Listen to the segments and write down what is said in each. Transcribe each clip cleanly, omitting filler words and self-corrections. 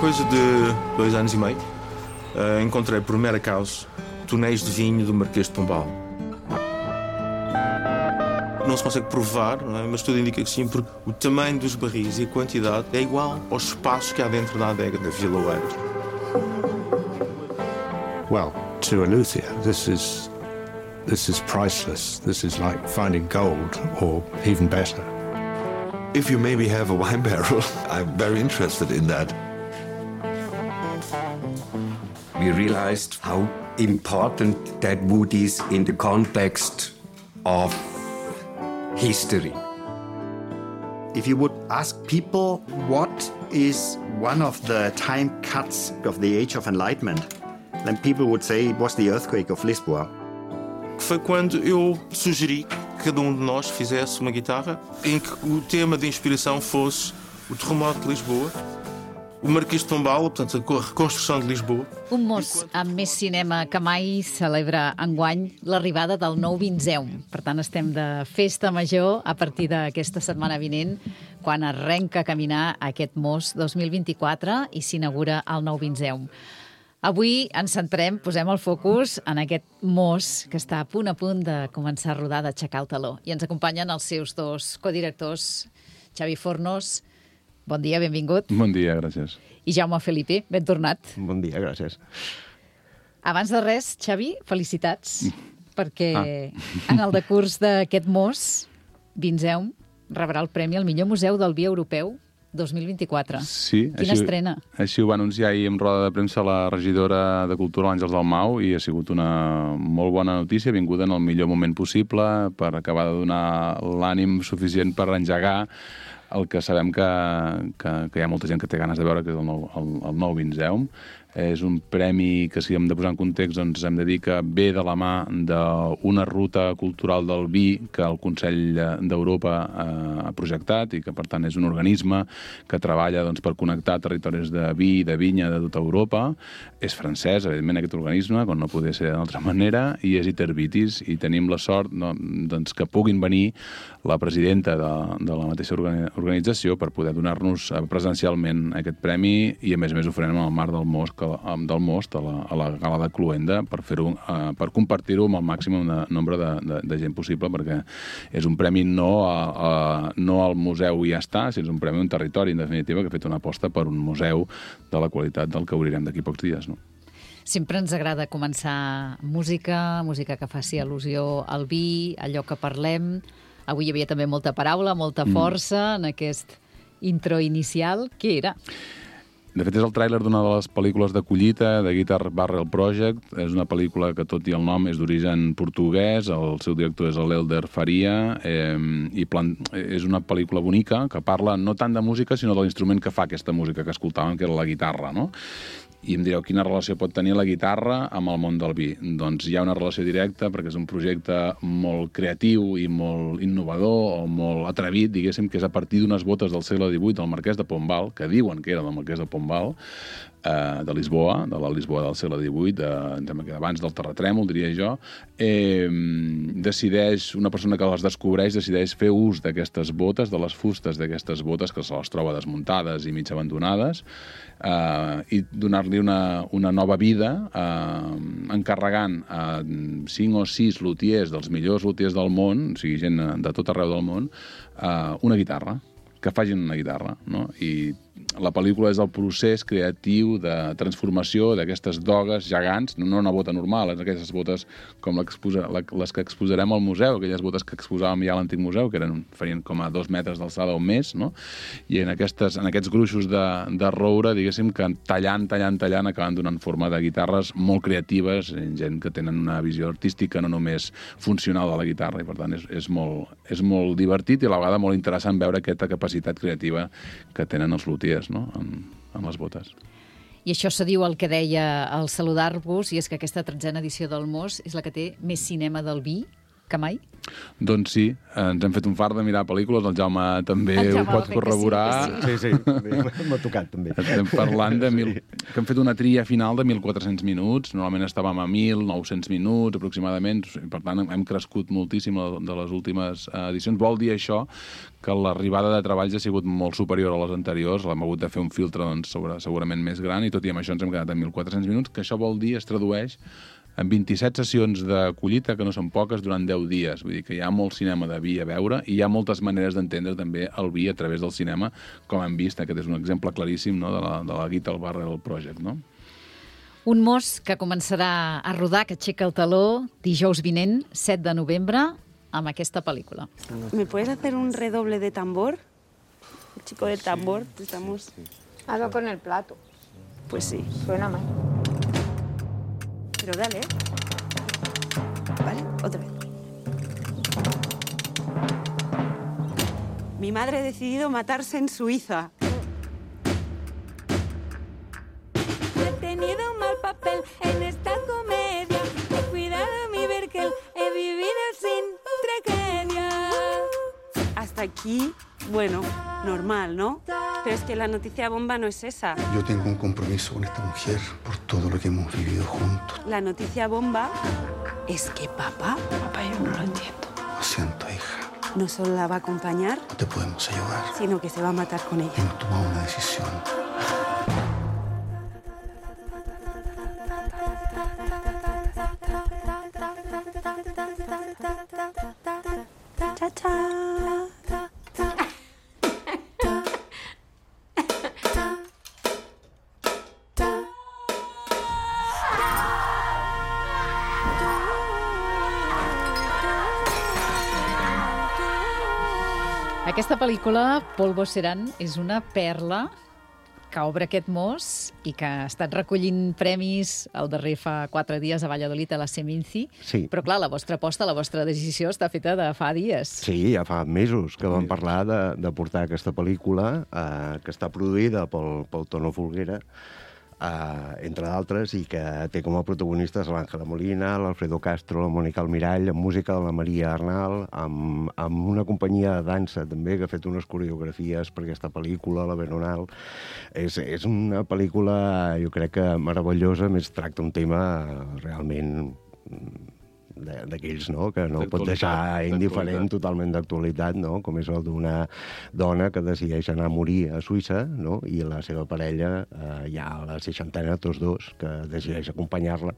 coisa de 2 anos e meio, encontrei por mero acaso tonéis de vinho do Marquês de Pombal. Não se consegue provar, não é? Mas tudo indica que sim, porque o tamanho dos barris e a quantidade é igual aos espaços que há dentro da adega da Vila Oeiras. Well, to a luthier, this is priceless. This is like finding gold, or even better. If you maybe have a wine barrel, I'm very interested in that. We realized how important that wood is in the context of history. If you would ask people what is one of the time cuts of the Age of Enlightenment, then people would say it was the earthquake of Lisboa. Foi quando eu sugeri que cada um de nós fizesse uma guitarra em que o tema de inspiração fosse o terremoto de Lisboa, o Marquês de Pombal, portanto, a reconstrução de Lisboa. Un mos amb més cinema que mai celebra enguany l'arribada del nou Vinzeum. Per tant, estem de festa major a partir d'aquesta setmana vinent, quan arrenca a caminar aquest mos 2024 i s'inaugura el nou Vinzeum. Avui ens centrem, posem el focus en aquest mos que està a punt de començar a rodar, d'aixecar el taló. I ens acompanyen els seus 2 codirectors, Xavi Fornos. Bon dia, benvingut. Bon dia, gràcies. I Jaume Felipe, ben tornat. Bon dia, gràcies. Abans de res, Xavi, felicitats, perquè en el decurs d'aquest mos, Vinzeum rebrà el premi al millor museu del vi europeu 2024. Sí. Quina estrena. Així ho va anunciar ahir en roda de premsa la regidora de Cultura, l'Àngels Dalmau, i ha sigut una molt bona notícia, vinguda en el millor moment possible per acabar de donar l'ànim suficient per engegar el que sabem que hi ha molta gent que té ganes de veure, que és el nou Vinzeum. És un premi que, si hem de posar en context, doncs hem de dir que ve de la mà d'una ruta cultural del vi que el Consell d'Europa ha projectat i que, per tant, és un organisme que treballa per connectar territoris de vi i de vinya de tota Europa. És francès, evidentment, aquest organisme, com no podia ser d'una altra manera, i és Itervitis, i tenim la sort que puguin venir la presidenta de la mateixa organització per poder donar-nos presencialment aquest premi, i a més ho farem en el marc del Most a la gala de Cluenda per compartir-ho amb el màxim nombre de gent possible, perquè és un premi no al museu i ja està, sinó és un premi a un territori, en definitiva, que ha fet una aposta per un museu de la qualitat del que obrirem d'aquí pocs dies, no? Sempre ens agrada començar música que faci al·lusió al vi, allò que parlem. Avui hi havia també molta paraula, molta força en aquest intro inicial. Què era? De fet, és el tràiler d'una de les pel·lícules de collita, de Guitar Barrel Project. És una pel·lícula que, tot i el nom, és d'origen portuguès, el seu director és l'Elder Faria, i és una pel·lícula bonica que parla no tant de música, sinó de l'instrument que fa aquesta música que escoltàvem, que era la guitarra, no? I em direu, quina relació pot tenir la guitarra amb el món del vi? Doncs hi ha una relació directa, perquè és un projecte molt creatiu i molt innovador, o molt atrevit, diguéssim, que és a partir d'unes botes del segle XVIII del Marquès de Pombal, que diuen que era del Marquès de Pombal, de Lisboa, de la Lisboa del segle XVIII, abans del terratrèmol, diria jo. Una persona que les descobreix decideix fer ús d'aquestes botes, de les fustes d'aquestes botes, que se les troba desmuntades i mig abandonades, i donar-li una nova vida, encarregant a 5 o 6 lutiers, dels millors lutiers del món, o sigui, gent de tot arreu del món, una guitarra, que facin una guitarra, no? I la pel·lícula és el procés creatiu de transformació d'aquestes dogues gegants, no una bota normal, aquestes botes com les que exposarem al museu, aquelles botes que exposàvem ja a l'antic museu, que farien com a 2 metres d'alçada o més, no? I en aquests gruixos de roure, diguéssim, que tallant, acaben donant forma de guitarres molt creatives, gent que tenen una visió artística, no només funcional de la guitarra, i per tant és molt divertit i a la vegada molt interessant veure aquesta capacitat creativa que tenen els lutiers, no? amb les botes. I això se diu el que deia al saludar-vos, i és que aquesta 13a edició del Mos és la que té més cinema del vi que mai? Doncs sí, ens hem fet un fart de mirar pel·lícules, el Jaume també ho pot corroborar. Sí, m'ha tocat també. Estem parlant que hem fet una tria final de 1.400 minuts, normalment estàvem a 1.900 minuts aproximadament, per tant hem crescut moltíssim de les últimes edicions. Vol dir això que l'arribada de treballs ha sigut molt superior a les anteriors, l'hem hagut de fer un filtre segurament més gran i tot i amb això ens hem quedat en 1.400 minuts, que això vol dir, es tradueix en 27 sessions de collita, que no són poques, durant 10 dies. Vull dir que hi ha molt cinema de vi a veure i hi ha moltes maneres d'entendre també el vi a través del cinema, com hem vist. Aquest és un exemple claríssim, no?, de la Guitar Barrel Project. No? Un mos que començarà a rodar, que aixeca el taló dijous vinent, 7 de novembre, amb aquesta pel·lícula. ¿Me puedes hacer un redoble de tambor? El chico del tambor, estamos... Hazlo con el plato. Pues sí. Suena mal. Pero dale. Vale, otra vez. Mi madre ha decidido matarse en Suiza. He tenido un mal papel en esta comedia. He cuidado mi Berkel, he vivido sin tragedia. Hasta aquí, bueno, normal, ¿no? Pero es que la noticia bomba no es esa. Yo tengo un compromiso con esta mujer por todo lo que hemos vivido juntos. La noticia bomba es que papá yo no lo entiendo. Lo siento, hija. No solo la va a acompañar, No te podemos ayudar. sino que se va a matar con ella. Hemos tomado una decisión. Cha, cha. Aquesta pel·lícula, Polvo Serán, és una perla que obre aquest mos i que ha estat recollint premis el darrer fa 4 dies a Valladolid, a la Seminci. Sí. Però, clar, la vostra aposta, la vostra decisió està feta de fa dies. Sí, ja fa mesos que vam parlar de portar aquesta pel·lícula que està produïda pel Tono Folguera, entre d'altres, i que té com a protagonistes l'Àngela Molina, l'Alfredo Castro, la Mònica Almirall, amb música de la Maria Arnal, amb una companyia de dansa també que ha fet unes coreografies per aquesta pel·lícula, la Veronal. És una pel·lícula, jo crec que meravellosa, més tracta un tema realment d'aquells, no?, que no pot deixar indiferent, totalment d'actualitat, no?, com és el d'una dona que decideix anar a morir a Suïssa, no?, i la seva parella, ja a la 60ena, tots dos, que decideix acompanyar-la.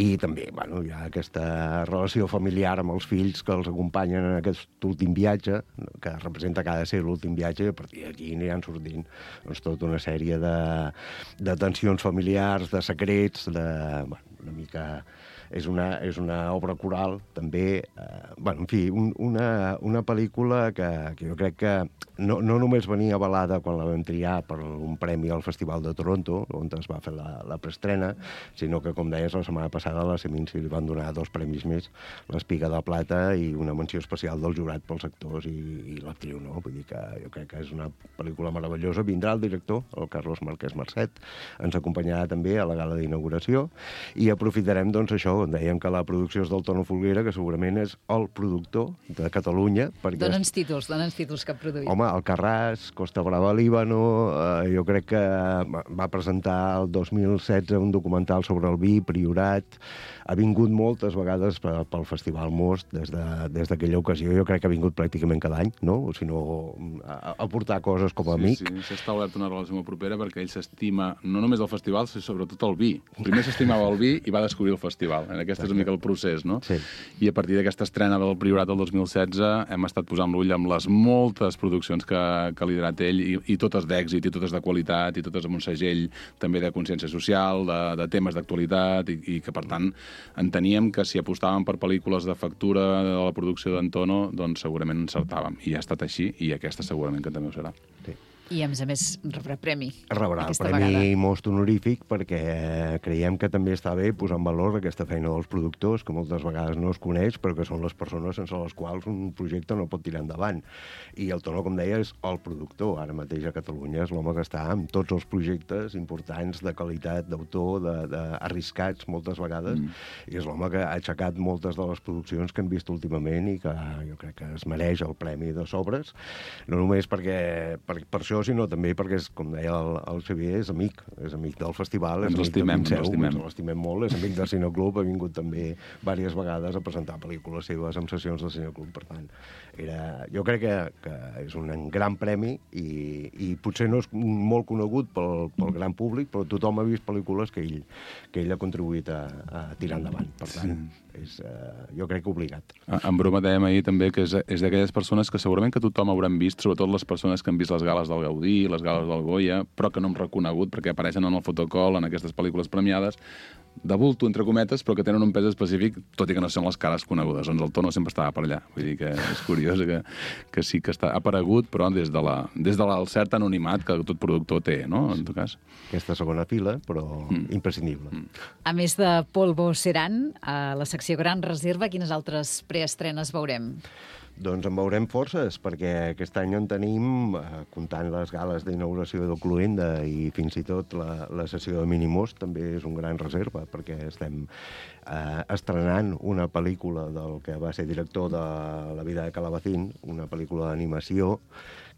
I també, bueno, hi ha aquesta relació familiar amb els fills que els acompanyen en aquest últim viatge, que representa que ha de ser l'últim viatge, i a partir d'aquí aniran sortint doncs, tota una sèrie de tensions familiars, de secrets, una mica... És una obra coral, també. En fi, una pel·lícula que jo crec que no només venia avalada quan la vam triar per un premi al Festival de Toronto, on es va fer la preestrena, sinó que, com deies, la setmana passada a la Seminci li van donar 2 premis més, l'Espiga de Plata i una menció especial del jurat pels actors i l'actriu, no? Vull dir que jo crec que és una pel·lícula meravellosa. Vindrà el director, el Carlos Marquès Marcet, ens acompanyarà també a la gala d'inauguració i aprofitarem, doncs, això, on dèiem que la producció és del Tono Folguera, que segurament és el productor de Catalunya. Dóna'ns títols que ha produït. Home, Alcarràs, Costa Brava, Líbano, jo crec que va presentar el 2016 un documental sobre el vi, Priorat, ha vingut moltes vegades pel Festival Most des d'aquella ocasió. Jo crec que ha vingut pràcticament cada any, no? O si no, a portar coses com a amic. Sí, s'està obert una relació molt propera perquè ell s'estima no només el festival, sinó sobretot el vi. Primer s'estimava el vi i va descobrir el festival. Aquest és una mica el procés, no? Sí. I a partir d'aquesta estrena del Priorat del 2016 hem estat posant l'ull amb les moltes produccions que ha liderat ell i totes d'èxit, i totes de qualitat, i totes amb un segell també de consciència social, de temes d'actualitat, i que, per tant, enteníem que si apostàvem per pel·lícules de factura de la producció d'Antono, doncs segurament encertàvem. I ha estat així, i aquesta segurament que també ho serà. Sí. I, a més, rebrà premi. Rebrà el aquesta premi vegada. Most honorífic perquè creiem que també està bé posar en valor aquesta feina dels productors, que moltes vegades no es coneix, però que són les persones sense les quals un projecte no pot tirar endavant. I el Tono, com deia, és el productor. Ara mateix a Catalunya és l'home que està amb tots els projectes importants de qualitat, d'autor, arriscats moltes vegades, i és l'home que ha aixecat moltes de les produccions que hem vist últimament i que jo crec que es mereix el premi de sobres, no només per això, sinó també perquè, com deia el Xavier, és amic del festival, és amic de Pinseu, ens l'estimem molt, és amic del Cineclub, ha vingut també diverses vegades a presentar pel·lícules seves en sessions del Cineclub, per tant, jo crec que és un gran premi i potser no és molt conegut pel gran públic, però tothom ha vist pel·lícules que ell ha contribuït a tirar endavant, per tant, és, jo crec que obligat. En broma dèiem ahir també que és d'aquelles persones que segurament que tothom hauran vist, sobretot les persones que han vist les gales del Gaudí, les gales del Goya, però que no hem reconegut perquè apareixen en el fotocol, en aquestes pel·lícules premiades, de bulto, entre cometes, però que tenen un pes específic, tot i que no són les cares conegudes. Doncs el Tono sempre estava per allà. Vull dir que és curiós que sí que està aparegut, però des del cert anonimat que tot productor té, no?, en tot cas. Aquesta segona fila, però imprescindible. A més de Polvo Serán, a la secció Gran Reserva, quines altres preestrenes veurem? Doncs en veurem forces, perquè aquest any en tenim, comptant les gales d'inauguració del Cluenda i fins i tot la sessió de Minimos, també és un gran reserva, perquè estem estrenant una pel·lícula del que va ser director de La vida de Calabacín, una pel·lícula d'animació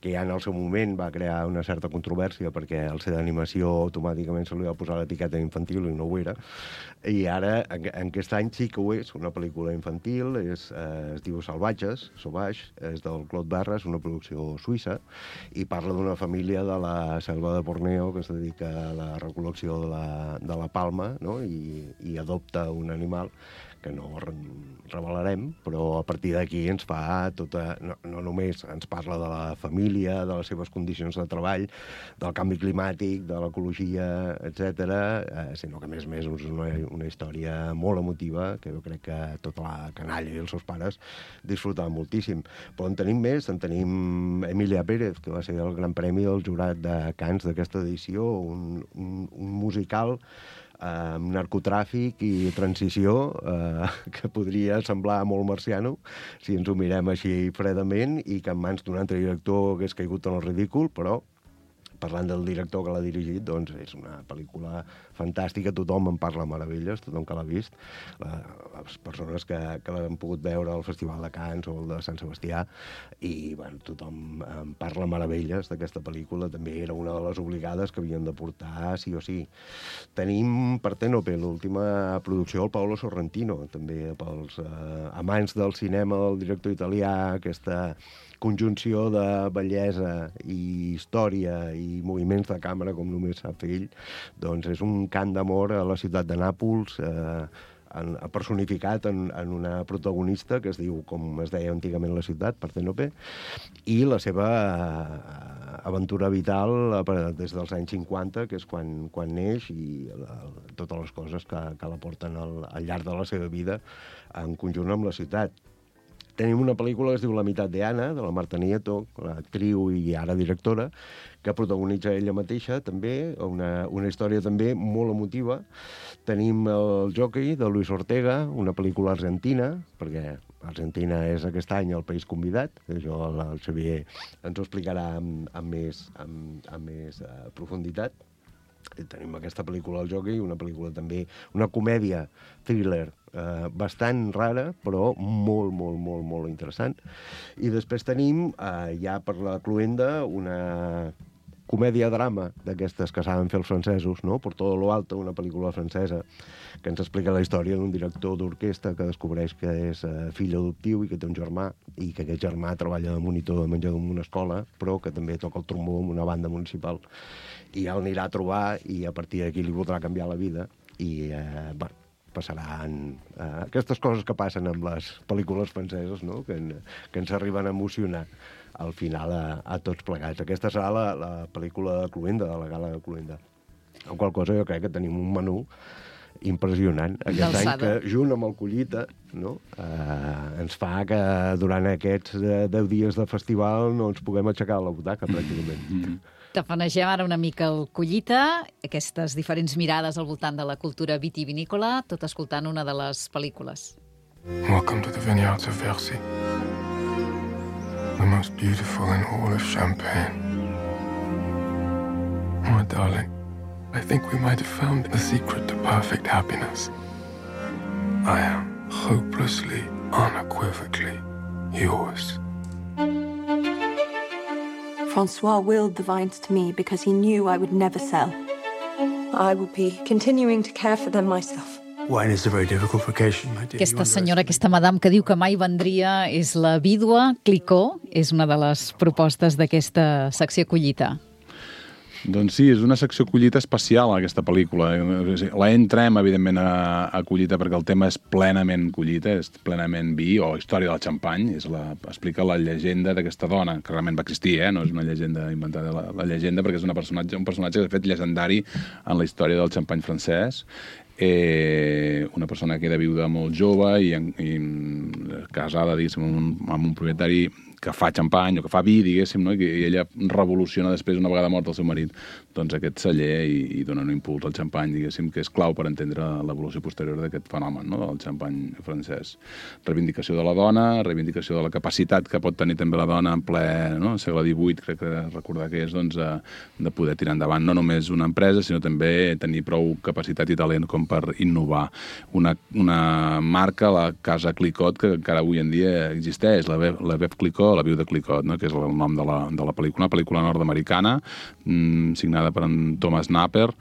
que ja en el seu moment va crear una certa controvèrsia perquè al ser d'animació automàticament se li va posar l'etiqueta infantil i no ho era. I ara, en aquest any sí que ho és, una pel·lícula infantil, es diu Salvatges, Sauvage, és del Claude Barras, una producció suïssa, i parla d'una família de la selva de Borneo que es dedica a la recol·lecció de la palma, no?, i adopta un animal que no revelarem, però a partir d'aquí ens fa tota... No només ens parla de la família, de les seves condicions de treball, del canvi climàtic, de l'ecologia, etc., sinó que, a més, és una història molt emotiva, que jo crec que tota la canalla i els seus pares disfrutaven moltíssim. Però en tenim més, en tenim Emilia Pérez, que va ser el gran premi del jurat de Cannes d'aquesta edició, un musical amb narcotràfic i transició que podria semblar molt marciano si ens ho mirem així fredament i que en mans d'un altre director hagués caigut en el ridícul, però parlant del director que l'ha dirigit, doncs és una pel·lícula fantàstica, tothom en parla meravelles, tothom que l'ha vist, les persones que l'han pogut veure al Festival de Cannes o el de Sant Sebastià, i bueno, tothom en parla meravelles d'aquesta pel·lícula, també era una de les obligades que havien de portar sí o sí. Tenim Partenope, l'última producció del Paolo Sorrentino, també pels amants del cinema del director italià, aquesta conjunció de bellesa i història i moviments de càmera com només sap fer ell, doncs és un cant d'amor a la ciutat de Nàpols, personificat en una protagonista que es diu, com es deia antigament la ciutat, Partenope, i la seva aventura vital des dels anys 50, que és quan neix, i totes les coses que la porten al llarg de la seva vida en conjunt amb la ciutat. Tenim una pel·lícula que es diu La meitat de Anna, de la Marta Nieto, l'actriu i ara directora, que protagonitza ella mateixa, també, una història també molt emotiva. Tenim El jockey, de Luis Ortega, una pel·lícula argentina, perquè Argentina és aquest any el país convidat, això el Xavier ens ho explicarà amb més profunditat. Tenim aquesta pel·lícula El jockey, una pel·lícula també, una comèdia thriller bastant rara, però molt interessant. I després tenim, ja per la cluenda, una comèdia-drama d'aquestes que saben fer els francesos, no? Por todo lo alto, una pel·lícula francesa que ens explica la història d'un director d'orquestra que descobreix que és fill adoptiu i que té un germà, i que aquest germà treballa de monitor de menjador en una escola, però que també toca el trombó en una banda municipal. I ja l'anirà a trobar i a partir d'aquí li voldrà canviar la vida i, passaran aquestes coses que passen amb les pel·lícules franceses, no?, que ens arriben a emocionar al final a tots plegats. Aquesta serà la pel·lícula de Cluenda, de la gala de Cluenda. Amb qual cosa jo crec que tenim un menú impressionant aquest any, que junt amb el Collita, no, ens fa que durant aquests 10 dies de festival no ens puguem aixecar a la butaca, pràcticament. Tafanegem ara una mica el Collita, aquestes diferents mirades al voltant de la cultura vitivinícola, tot escoltant una de les pel·lícules. Welcome to the vineyards of Versy, the most beautiful in all of Champagne. My darling, I think we might have found the secret to perfect happiness. I am hopelessly, unequivocally yours. Francois willed the vines to me because he knew I would never sell. I will be continuing to care for them myself. Wine is a very difficult vocation, my dear. Aquesta senyora, aquesta madame que diu que mai vendria és la vídua Clicquot, és una de les propostes d'aquesta secció Collita. Doncs sí, és una secció Collita especial, aquesta pel·lícula. La entrem, evidentment, a Collita perquè el tema és plenament Collita, és plenament vi o història del xampany. Explica la llegenda d'aquesta dona, que realment va existir, no és una llegenda inventada, la llegenda, perquè és un personatge que ha fet llegendari en la història del xampany francès. Una persona que era viuda molt jove i casada, diguéssim, amb un propietari que fa xampany o que fa vi, diguéssim, no? I ella revoluciona després, una vegada mort el seu marit, doncs aquest celler i dona un impuls al xampany, diguéssim, que és clau per entendre l'evolució posterior d'aquest fenomen, no? Del xampany francès. Reivindicació de la dona, reivindicació de la capacitat que pot tenir també la dona en ple, no? Segle XVIII, crec que recordar que és, doncs, de poder tirar endavant no només una empresa, sinó també tenir prou capacitat i talent com per innovar. Una marca, la Casa Clicquot, que encara avui en dia existeix, la Veuve Clicquot, la viuda Clicquot, no? Que és el nom de la pel·lícula, una pel·lícula nord-americana, signada per en Thomas Napper,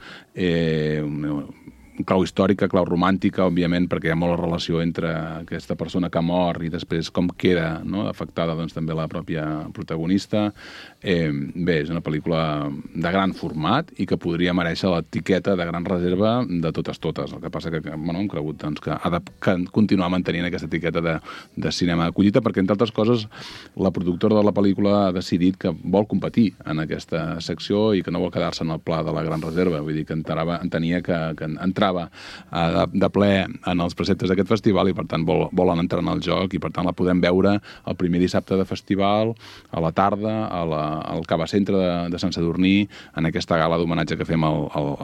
clau històrica, clau romàntica, òbviament, perquè hi ha molt relació entre aquesta persona que mor i després com queda, no? Afectada doncs, també la pròpia protagonista. Bé, és una pel·lícula de gran format i que podria mereixer l'etiqueta de gran reserva de totes. El que passa que hem cregut doncs, que ha de continuar mantenint aquesta etiqueta de cinema de collita, perquè, entre altres coses, la productora de la pel·lícula ha decidit que vol competir en aquesta secció i que no vol quedar-se en el pla de la gran reserva. Vull dir que entenia que entrava de ple en els preceptes d'aquest festival i, per tant, volen entrar en el joc i, per tant, la podem veure el primer dissabte de festival, a la tarda, al Cava Centre de Sant Sadurní, en aquesta gala d'homenatge que fem a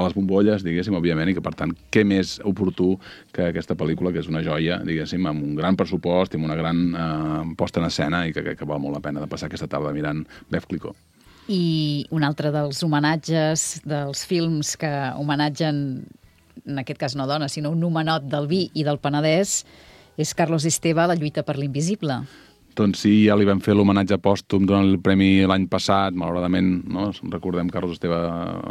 les bombolles, diguéssim, òbviament, i que, per tant, què més oportú que aquesta pel·lícula, que és una joia, diguéssim, amb un gran pressupost i amb una gran posta en escena i que val molt la pena de passar aquesta tarda mirant Veuve Clicquot. I un altre dels homenatges, dels films que homenatgen, en aquest cas no dones, sinó un homenot del vi i del Penedès, és Carlos Esteve, La lluita per l'invisible. Doncs sí, ja li vam fer l'homenatge pòstum durant el premi l'any passat. Malauradament, no? Recordem que Carlos Esteve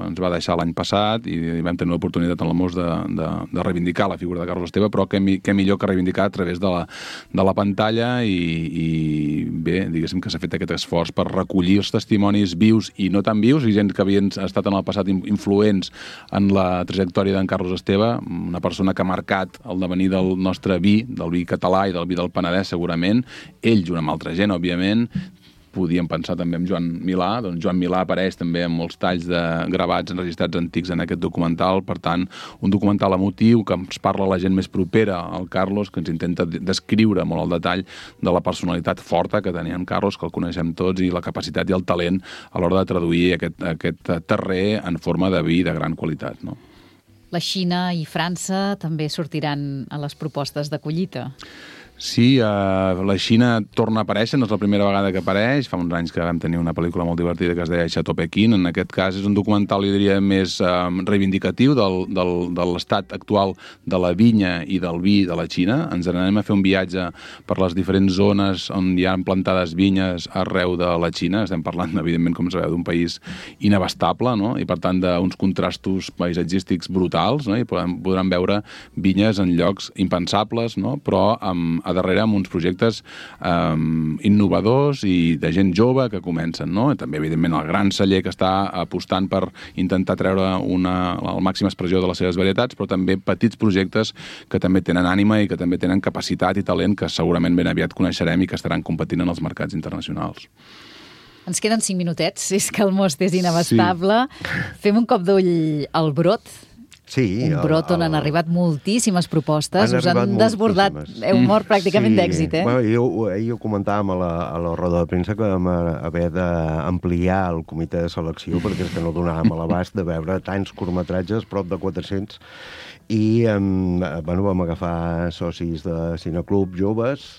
ens va deixar l'any passat i vam tenir l'oportunitat en la MOS de reivindicar la figura de Carlos Esteve, però què millor que reivindicar a través de la pantalla i bé, diguéssim que s'ha fet aquest esforç per recollir els testimonis vius i no tan vius, i gent que havien estat en el passat influents en la trajectòria d'en Carlos Esteve, una persona que ha marcat el devenir del nostre vi, del vi català i del vi del Penedès, segurament. Ell, junt amb altra gent, òbviament. Podíem pensar també en Joan Milà. Doncs Joan Milà apareix també en molts talls de gravats enregistrats antics en aquest documental. Per tant, un documental emotiu que ens parla la gent més propera al Carlos, que ens intenta descriure molt el detall de la personalitat forta que tenia en Carlos, que el coneixem tots, i la capacitat i el talent a l'hora de traduir aquest terrer en forma de vi de gran qualitat, no? La Xina i França també sortiran a les propostes de collita. Sí, la Xina torna a aparèixer, no és la primera vegada que apareix. Fa uns anys que vam tenir una pel·lícula molt divertida que es deia Chateau Pequín. En aquest cas és un documental, jo diria, més reivindicatiu de l'estat actual de la vinya i del vi de la Xina. Ens anem a fer un viatge per les diferents zones on hi ha plantades vinyes arreu de la Xina. Estem parlant, evidentment, com sabeu, d'un país inabastable, no? I, per tant, d'uns contrastos paisatgístics brutals, no? I podran veure vinyes en llocs impensables, no? Però a darrere amb uns projectes innovadors i de gent jove que comencen, no? I també, evidentment, el gran celler que està apostant per intentar treure la màxima expressió de les seves varietats, però també petits projectes que també tenen ànima i que també tenen capacitat i talent que segurament ben aviat coneixerem i que estaran competint en els mercats internacionals. Ens queden 5 minutets, és que el most és inabastable. Sí. Fem un cop d'ull al Brot. Sí, un brot on han arribat moltíssimes propostes, us han desbordat, heu mort pràcticament d'èxit, eh? Bueno, ahir ho comentàvem a la roda de premsa que vam haver d'ampliar el comitè de selecció perquè és que no donàvem a l'abast de veure tants curtmetratges, prop de 400, i vam agafar socis de cineclub joves,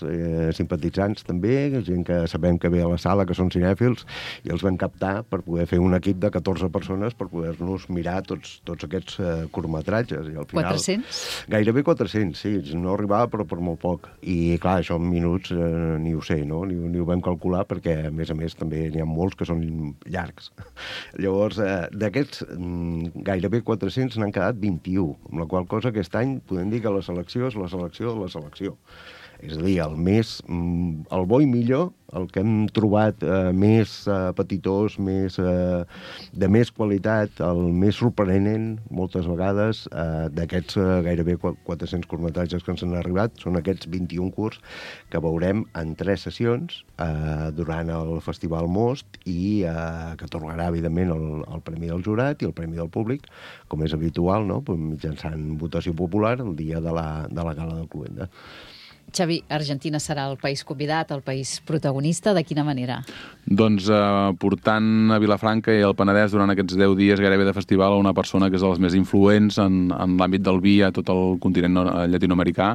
simpatitzants també, gent que sabem que ve a la sala, que són cinèfils, i els vam captar per poder fer un equip de 14 persones per poder-nos mirar tots aquests curtmetratges. I al final, 400? Gairebé 400, sí, no arribava però per molt poc. I clar, això en minuts ni ho sé, no? Ni ho vam calcular perquè, a més, també n'hi ha molts que són llargs. Llavors, d'aquests gairebé 400 n'han quedat 21, amb la qual cosa aquest any podem dir que la selecció és la selecció de la selecció. És a dir, el bo i millor, el que hem trobat més petitós, de més qualitat, el més sorprenent, moltes vegades, d'aquests gairebé 400 curtmetratges que ens han arribat, són aquests 21 curts que veurem en 3 sessions durant el Festival Most i que atorgarà, evidentment, el Premi del Jurat i el Premi del Públic, com és habitual, no? Mitjançant votació popular el dia de la Gala del Cluenda. Xavi, Argentina serà el país convidat, el país protagonista, de quina manera? Doncs portant a Vilafranca i al Penedès durant aquests 10 dies gairebé de festival a una persona que és de les més influents en l'àmbit del vi a tot el continent llatinoamericà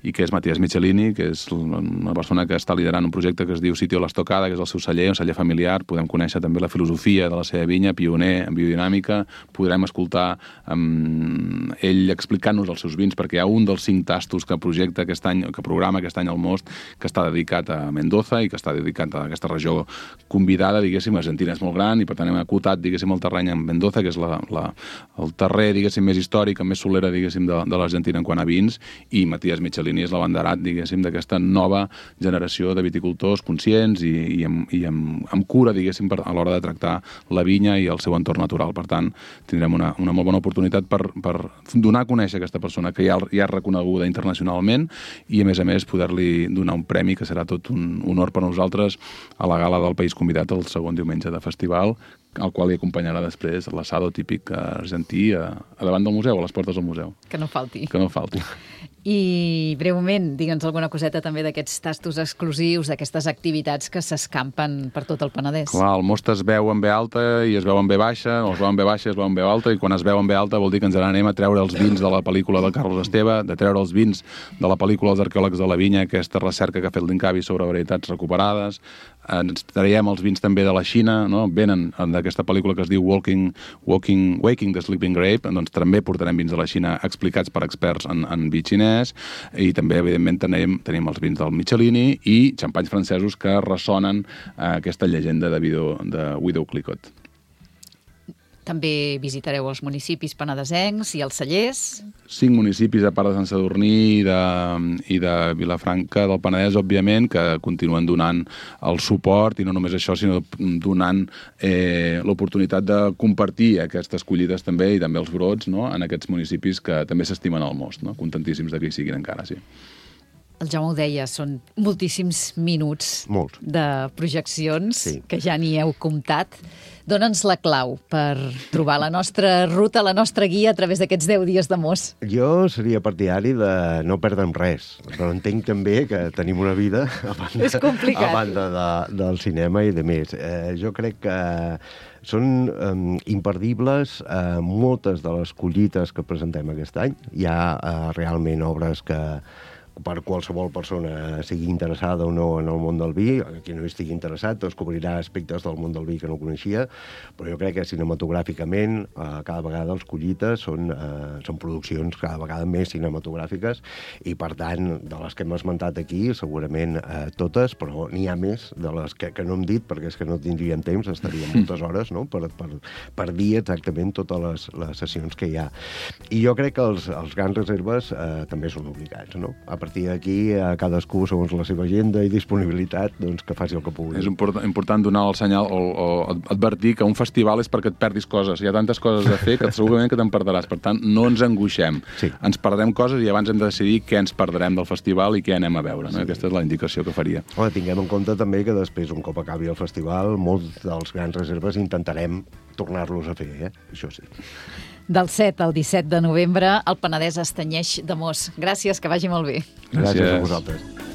i que és Matías Michelini, que és una persona que està liderant un projecte que es diu Sitio l'Estocada, que és el seu celler, un celler familiar. Podem conèixer també la filosofia de la seva vinya, pioner en biodinàmica. Podrem escoltar ell explicant-nos els seus vins, perquè hi ha un dels 5 tastos que projecta aquest any, que programa aquest any al Most, que està dedicat a Mendoza i que està dedicat a aquesta regió convidada, diguéssim. Argentina és molt gran i per tant hem acotat, diguéssim, el terreny en Mendoza, que és el terrer, diguéssim, més històric, amb més solera, diguéssim, de l'Argentina en quant a vins, i Matías Michelini és l'abanderat, diguéssim, d'aquesta nova generació de viticultors conscients i amb cura, diguéssim, a l'hora de tractar la vinya i el seu entorn natural. Per tant, tindrem una molt bona oportunitat per donar a conèixer aquesta persona que ja és reconeguda internacionalment i, a més, poder-li donar un premi que serà tot un honor per a nosaltres a la gala del país convidat el segon diumenge de festival, al qual hi acompanyarà després l'assado típic argentí a davant del museu, a les portes del museu. Que no falti. Que no falti. I, breument, digue'ns alguna coseta també d'aquests tastos exclusius, d'aquestes activitats que s'escampen per tot el Penedès. Clar, el Most es veu en B alta i es veu en B baixa, o es veu en B baixa i es veu en B alta, i quan es veu en B alta vol dir que ens anem a treure els vins de la pel·lícula del Carlos Esteve, de treure els vins de la pel·lícula Els arqueòlegs de la vinya, aquesta recerca que ha fet l'Incavi sobre varietats recuperades. Ens traiem els vins també de la Xina, no? Venen d'aquesta pel·lícula que es diu Waking the Sleeping Grape, doncs també portarem vins de la Xina explicats per experts en vi xinès, i també, evidentment, tenim els vins del Michelini i xampanys francesos que ressonen aquesta llegenda de Widow Clicquot. També visitareu els municipis penedesencs i els cellers. 5 municipis, a part de Sant Sadurní i de Vilafranca del Penedès, òbviament, que continuen donant el suport, i no només això, sinó donant l'oportunitat de compartir aquestes collides també, i també els brots, no?, en aquests municipis que també s'estimen al Most, no? Contentíssims de que hi siguin encara, sí. El Jaume ho deia, són moltíssims minuts de projeccions, que ja n'hi heu comptat. Dóna'ns la clau per trobar la nostra ruta, la nostra guia a través d'aquests 10 dies de Most. Jo seria partidari de no perdre'm res, però entenc també que tenim una vida a banda del cinema i de més. Jo crec que són imperdibles moltes de les collites que presentem aquest any. Hi ha realment obres que per qualsevol persona sigui interessada o no en el món del vi, qui no estigui interessat descobrirà aspectes del món del vi que no coneixia, però jo crec que cinematogràficament cada vegada els collites són produccions cada vegada més cinematogràfiques i, per tant, de les que hem esmentat aquí, segurament totes, però n'hi ha més de les que no hem dit, perquè és que no tindríem temps, estaríem moltes hores, no?, per dir exactament totes les sessions que hi ha. I jo crec que els grans reserves també són obligats, no? A partir d'aquí, cadascú, segons la seva agenda i disponibilitat, doncs que faci el que pugui. És important donar el senyal o advertir que un festival és perquè et perdis coses. Hi ha tantes coses a fer que segurament que te'n perdràs. Per tant, no ens angoixem. Ens perdrem coses i abans hem de decidir què ens perdrem del festival i què anem a veure. No? Aquesta és la indicació que faria. Tinguem en compte també que després, un cop acabi el festival, molts dels grans reserves intentarem tornar-los a fer, això sí. Del 7 al 17 de novembre, el Penedès es tenyeix d'amors. Gràcies, que vagi molt bé. Gràcies a vosaltres.